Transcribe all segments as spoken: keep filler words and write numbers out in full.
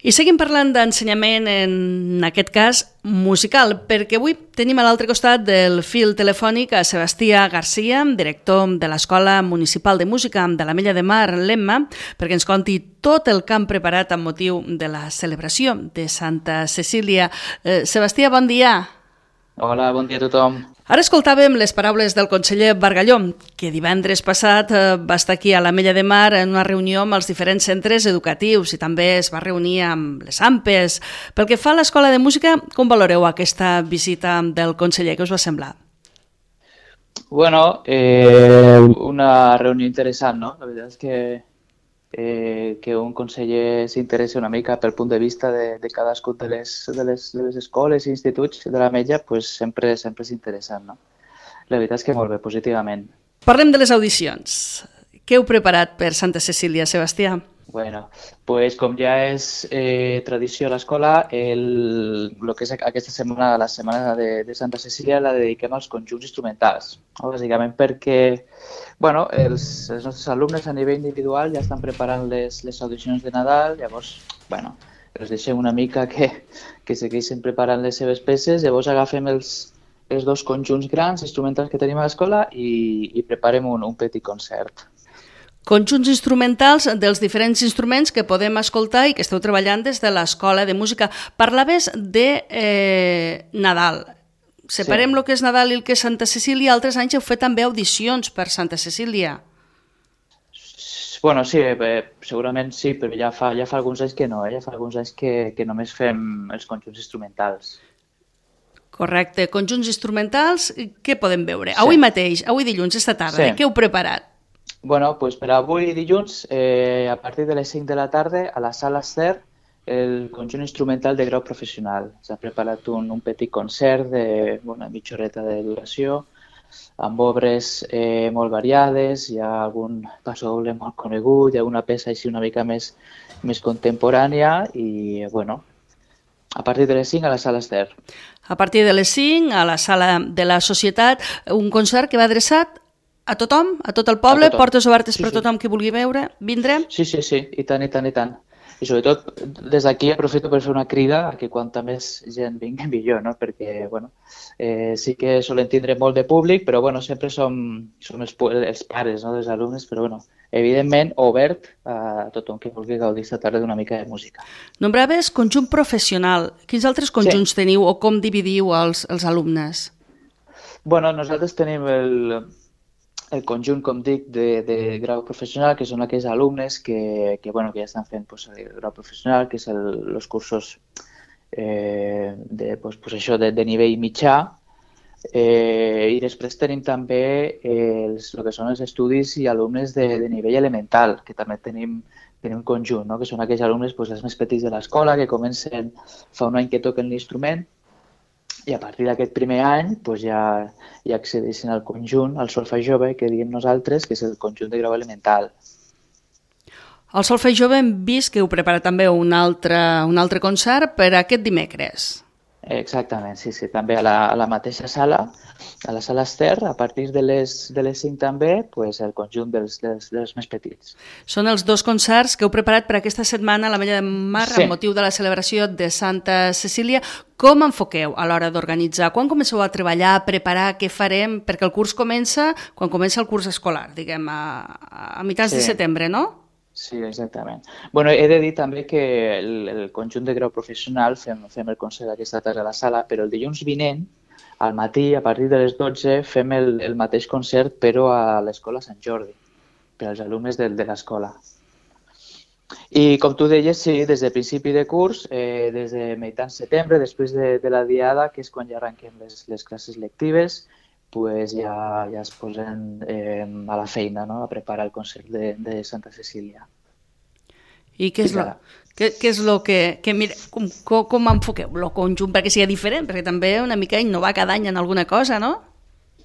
I seguim parlant d'ensenyament, en aquest cas musical, perquè avui tenim a l'altre costat del fil telefònic a Sebastià Garcia, director de l'Escola Municipal de Música de l'Ametlla de Mar, l'Emma, perquè ens conti tot el que han preparat amb motiu de la celebració de Santa Cecília. Eh, Sebastià, bon dia. Hola, bon dia a tothom. Ara escoltàvem les paraules del conseller Bargalló, que divendres passat va estar aquí a l'Ametlla de Mar en una reunió amb els diferents centres educatius i també es va reunir amb les A M P Es. Pel que fa a l'Escola de Música, com valoreu aquesta visita del conseller? Què us va semblar? Bueno, eh, una reunió interessant, no? La veritat és que Eh, que un conseller s'interessi una mica pel punt de vista de, de cadascun de les, de, les, de les escoles i instituts de l'Ametlla, pues sempre, sempre és interessant, no? La veritat és que molt bé, positivament. Parlem de les audicions. Què heu preparat per Santa Cecília, Sebastià? Bueno, pues com ja és eh, tradició a l'escola, el, el que és aquesta setmana, la setmana de, de Santa Cecília, la dediquem als conjunts instrumentals, no? Bàsicament perquè bueno, els, els nostres alumnes a nivell individual ja estan preparant les, les audicions de Nadal, llavors bueno, els deixem una mica que, que segueixin preparant les seves peces, llavors agafem els, els dos conjunts grans instrumentals que tenim a l'escola i, i preparem un, un petit concert. Conjunts instrumentals dels diferents instruments que podem escoltar i que esteu treballant des de l'Escola de Música. Parlaves de eh, Nadal. Separem sí. El que és Nadal i el que és Santa Cecília. Altres anys heu fet també audicions per Santa Cecília. Bueno, sí, eh, segurament sí, però ja fa, ja fa alguns anys que no. Eh? Ja fa alguns anys que, que només fem els conjunts instrumentals. Correcte. Conjunts instrumentals, què podem veure? Sí. Avui mateix, avui dilluns, esta tarda, sí. Què heu preparat? Bueno, pues per avui dilluns, eh, a partir de les cinc de la tarda, a la sala Ester, el conjunt instrumental de grau professional. S'ha preparat un, un petit concert de una mitja horeta de duració, amb obres eh, molt variades, hi ha algun passadoble molt conegut, hi ha una peça així una mica més, més contemporània i, bueno, a partir de les cinc a la sala Ester. A partir de les cinc a la sala de la Societat, un concert que va adreçat a tothom, a tot el poble, tothom. Portes obertes sí, per sí. Tothom que vulgui veure, vindre? Sí, sí, sí, i tant, i tant, i tant. I sobretot, des d'aquí aprofito per fer una crida a que quanta més gent vingui millor, no? Perquè, bueno, eh, sí que solen tindre molt de públic, però, bueno, sempre som, som els, els pares, no?, dels alumnes, però, bueno, evidentment, obert a tothom que vulgui gaudir esta tarda d'una mica de música. Nombraves conjunt professional. Quins altres conjunts sí. Teniu o com dividiu els, els alumnes? Bueno, nosaltres tenim el... el conjunt, com dic, de, de grau professional, que són aquells alumnes que, que, bueno, que ja estan fent pues, el grau professional, que és el, els cursos eh, de, pues, pues això, de, de nivell mitjà, eh, i després tenim també eh, els, el que són els estudis i alumnes de, de nivell elemental, que també tenim, tenim un conjunt, no? Que són aquells alumnes pues, els més petits de l'escola, que comencen fa un any que toquen l'instrument, i a partir d'aquest primer any pues, ja, ja accedeixen al conjunt, al solfeig jove, que diem nosaltres, que és el conjunt de grau elemental. Al solfeig jove hem vist que heu preparat també un altre, un altre concert per aquest dimecres. Exactament, sí, sí, també a la, a la mateixa sala, a la sala Ester, a partir de les, de les cinc també, pues, el conjunt dels, dels, dels més petits. Són els dos concerts que heu preparat per aquesta setmana a l'Ametlla de Mar sí. Amb motiu de la celebració de Santa Cecília. Com enfoqueu a l'hora d'organitzar? Quan comenceu a treballar, a preparar què farem? Perquè el curs comença quan comença el curs escolar, diguem, a, a mitjans sí. de setembre, no? Sí, exactament. Bueno, he de dir també que el, el conjunt de grau professional fem, fem el concert aquesta tarda a la sala, però el dilluns vinent, al matí, a partir de les dotze, fem el, el mateix concert, però a l'Escola Sant Jordi, per als alumnes de, de l'escola. I com tu deies, sí, des de principi de curs, eh, des de meitat setembre, després de, de la diada, que és quan ja arrenquem les, les classes lectives, pues ja, ja es posen eh, a la feina, no?, a preparar el concert de, de Santa Cecília. I què és lo, què, què és lo que... que mira, com, com, com enfoqueu el conjunt perquè sigui diferent? Perquè també una mica innovar cada any en alguna cosa, no?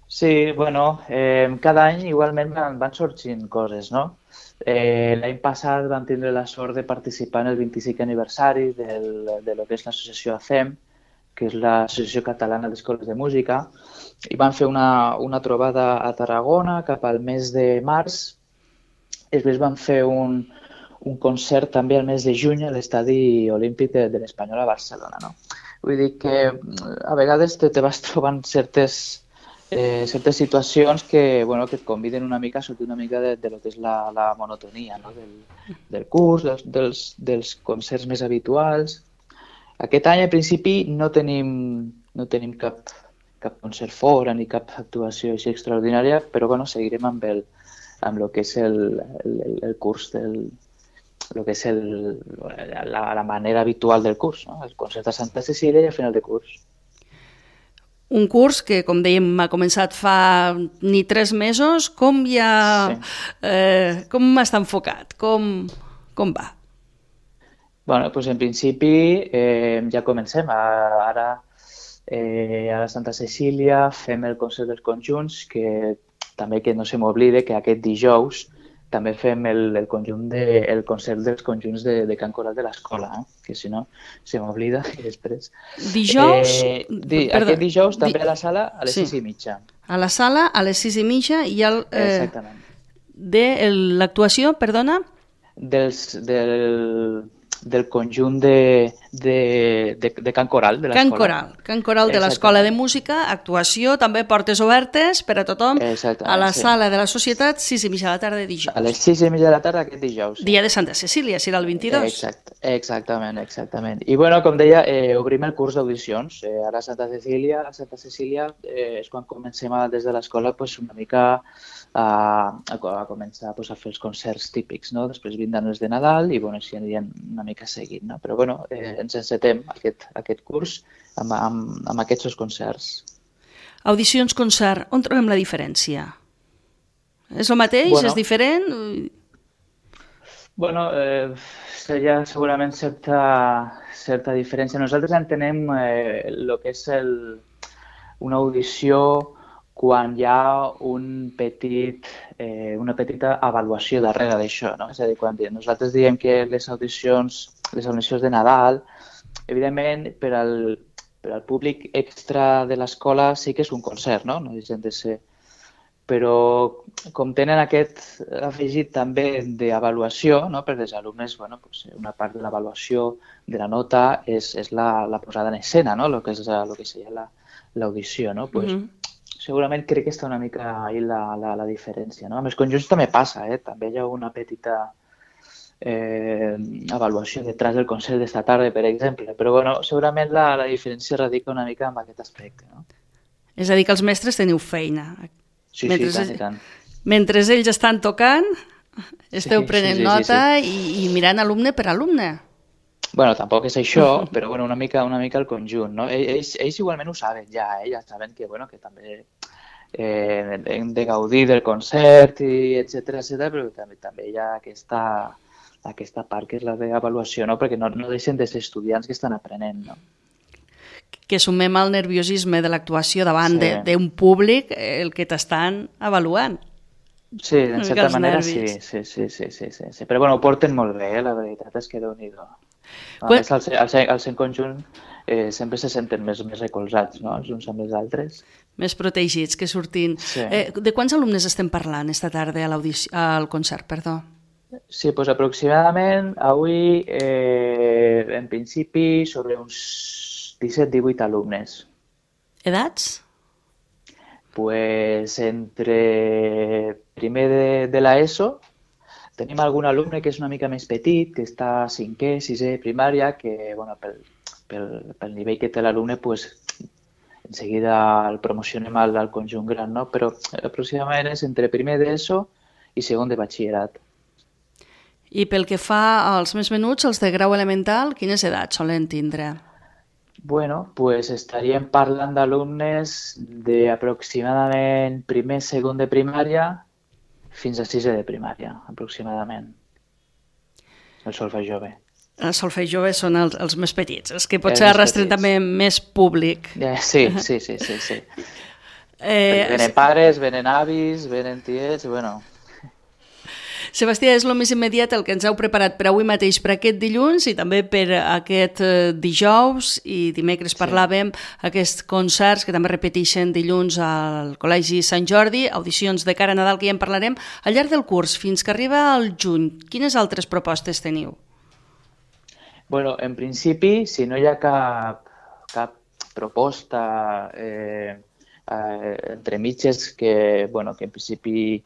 Sí, bueno, eh, cada any igualment van, van sorgint coses, no? Eh, L'any passat vam tindre la sort de participar en el vint-i-cinquè aniversari del, de lo que és l'associació A C E M, que és l'Associació Catalana d'Escoles de Música, i van fer una, una trobada a Tarragona cap al mes de març. Després van fer un, un concert també al mes de juny a l'estadi olímpic de, de l'Espanyol a Barcelona, no? Vull dir que a vegades te, te vas trobant certes, eh, certes situacions que, bueno, que et conviden una mica a sortir una mica de, de lo que és la, la monotonia, no? del, del curs, dels, dels, dels concerts més habituals. Aquest any, al principi, no tenim, no tenim cap, cap concert fora ni cap actuació així extraordinària, però bueno, seguirem amb el, amb el que és el, el, el curs del el que és el, la, la manera habitual del curs, no? El concert a Santa Cecília i a final de curs. Un curs que, com dèiem, ha començat fa ni tres mesos. Com ja... Sí. Eh, com està enfocat? Com, com va? Bueno, doncs en principi eh, ja comencem. Ara eh, a la Santa Cecília fem el concert dels conjunts, que també que no se m'oblide que aquest dijous també fem el, el, conjunt de, el concert dels conjunts de, de Cant Coral de l'escola, eh? Que si no se m'oblida i després... Dijous? Eh, di, aquest dijous també di... a la sala a les sí. sis i mitja. A la sala a les sis i mitja i el... Eh, Exactament. De l'actuació, perdona? Dels, del, del conjunt de, de, de, de Cant Coral de l'escola. Cant Coral, Cant Coral de l'Escola de Música, actuació, també portes obertes per a tothom, a la sí. sala de la Societat, sis i mitja de la tarda de dijous. A les sis i mitja de la tarda aquest dijous. Sí. Dia de Santa Cecília, serà el vint-i-dos. Exacte, exactament, exactament. I bueno, com deia, eh, obrim el curs d'audicions. Eh, ara a Santa Cecília, a Santa Cecília eh, és quan comencem a, des de l'escola pues, una mica a, a, a començar pues, a fer els concerts típics, no? Després vindran els de Nadal i bueno, així anirien una mica seguint, no? Però bueno, eh, ens encetem aquest, aquest curs amb, amb, amb aquests dos concerts. Audicions, concert, on trobem la diferència? És el mateix? Bueno, és diferent? Bueno, eh, hi ha segurament certa, certa diferència. Nosaltres entenem eh, el que és el, una audició quan hi ha un petit, eh, una petita avaluació darrere d'això, no? És a dir, quan nosaltres diem que les audicions, les audicions de Nadal, evidentment, per al, per al públic extra de l'escola sí que és un concert, no? No deixen de ser. Però com tenen aquest afegit també d'avaluació, no? Per als alumnes, bueno, pues una part de l'avaluació de la nota és, és la, la posada en escena, no? El que és el que seria l'audició, no? Pues, mm-hmm. Segurament crec que està una mica ahí la, la, la diferència, no? Amb els conjunts també passa, eh? També hi ha una petita eh, avaluació detrás del concert d'esta tarda, per exemple, però bueno, segurament la, la diferència radica una mica en aquest aspecte, no? És a dir, que els mestres teniu feina. Sí, mentre, sí, tant i tant. Mentre ells estan tocant, esteu sí, prenent sí, sí, nota sí, sí. I, i mirant alumne per alumne. Bueno, tampoc és això, però bueno, una mica una mica el conjunt, no? Ells, ells igualment ho saben ja, eh? Ja saben que, bueno, que també eh, hem de gaudir del concert i etcètera, etcètera, però també, també hi ha aquesta, aquesta part que és la d'avaluació, no? Perquè no, no deixen de ser estudiants que estan aprenent, no? Que sumem al nerviosisme de l'actuació davant sí. d'un públic el que t'estan avaluant. Sí, en certa manera sí, sí, sí, sí, sí, sí, sí. Però bueno, ho porten molt bé, eh? La veritat és que Déu-n'hi-do. A Quan... més, al ser, al ser, al ser en conjunt eh, sempre se senten més, més recolzats, no? Els uns amb els altres. Més protegits, que sortin. Sí. Eh, de quants alumnes estem parlant esta tarda a al concert, perdó? Sí, doncs aproximadament avui, eh, en principi, sobre uns disset divuit alumnes. Edats? Pues entre primer de, de l'ESO tenim algun alumne que és una mica més petit, que està a cinquè, sisè, primària, que bueno, pel, pel, pel nivell que té l'alumne, pues, en seguida el promocionem al, al conjunt gran, no? Però aproximadament és entre primer d'ESO i segon de batxillerat. I pel que fa als més menuts, els de grau elemental, quines edats solen tindre? Bueno, pues estaríem parlant d'alumnes d'aproximadament primer, segon de primària fins a sisè de primària, aproximadament. El solfeig jove. El solfeig jove són els, els més petits, els que potser arrastren també més públic. Yeah, sí, sí, sí, sí, sí. Eh, venen pares, venen avis, venen tiets, bueno... Sebastià, és el més immediat el que ens heu preparat per avui mateix, per aquest dilluns i també per aquest dijous, i dimecres sí. parlàvem aquests concerts que també repeteixen dilluns al Col·legi Sant Jordi, audicions de cara a Nadal, que ja en parlarem. Al llarg del curs, fins que arriba al juny, quines altres propostes teniu? Bueno, en principi, si no hi ha cap, cap proposta eh, eh, entre mitges que, bueno, que en principi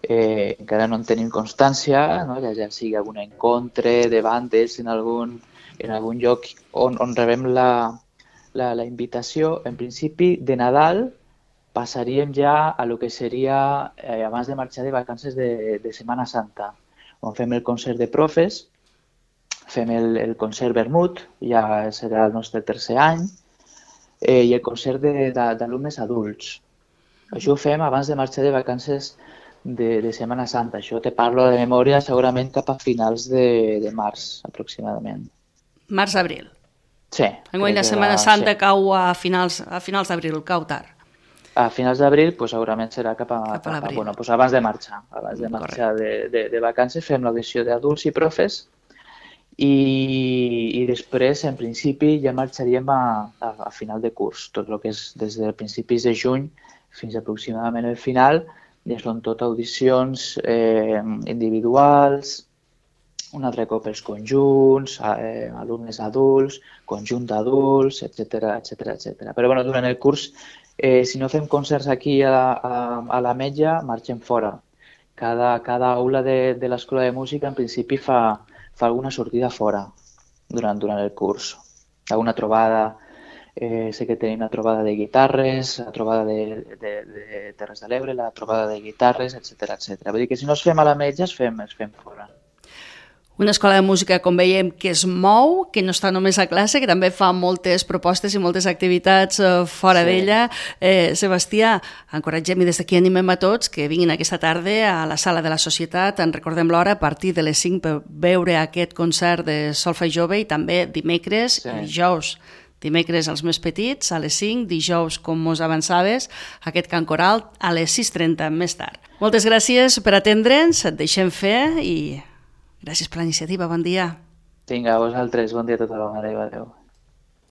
eh, encara no en tenim constància, no? ja, ja sigui algun encontre de bandes en algun, en algun lloc on, on rebem la, la, la invitació, en principi de Nadal passaríem ja a lo que seria eh, abans de marxar de vacances de, de Setmana Santa, on fem el concert de profes, fem el, el concert Vermut, ja serà el nostre tercer any, eh, i el concert d'alumnes adults. Això ho fem abans de marxar de vacances de, de Setmana Santa. Això te parlo de memòria segurament cap a finals de, de març, aproximadament. Març-abril. Sí. Enguany la Setmana Santa sí. cau a finals, a finals d'abril, cau tard. A finals d'abril pues, segurament serà cap a, cap a, a bueno, pues, abans de marxar. Abans de marxar de, de, de vacances fem l'audició d'adults i profes. I, i després, en principi, ja marxaríem a, a, a final de curs. Tot el que és des de principis de juny fins aproximadament el final, ja són tot audicions eh, individuals, un altre cop els conjunts, eh, alumnes adults, conjunt d'adults, etcètera, etcètera, etcètera. Però bueno, durant el curs, eh, si no fem concerts aquí a, a, a l'Ametlla, marxem fora. Cada, cada aula de, de l'Escola de Música, en principi, fa... fa alguna sortida fora durant, durant el curs. Alguna trobada, eh, sé que tenim la trobada de guitarres, la trobada de, de, de Terres de l'Ebre, la trobada de guitarres, etcètera, etcètera. Vull dir que si no es fem a l'Ametlla, es fem, es fem fora. Una escola de música, com veiem, que es mou, que no està només a classe, que també fa moltes propostes i moltes activitats eh, fora sí. d'ella. Eh, Sebastià, encoratgem i des d'aquí animem a tots que vinguin aquesta tarda a la Sala de la Societat. En recordem l'hora a partir de les cinc per veure aquest concert de Solfa i Jove, i també dimecres sí. i dijous. Dimecres els més petits a les cinc, dijous, com mos avançaves, aquest cant coral a les sis trenta més tard. Moltes gràcies per atendre'ns, et deixem fer i... gràcies per la iniciativa, bon dia. Vinga, a vosaltres, bon dia a tothom, adéu, adéu.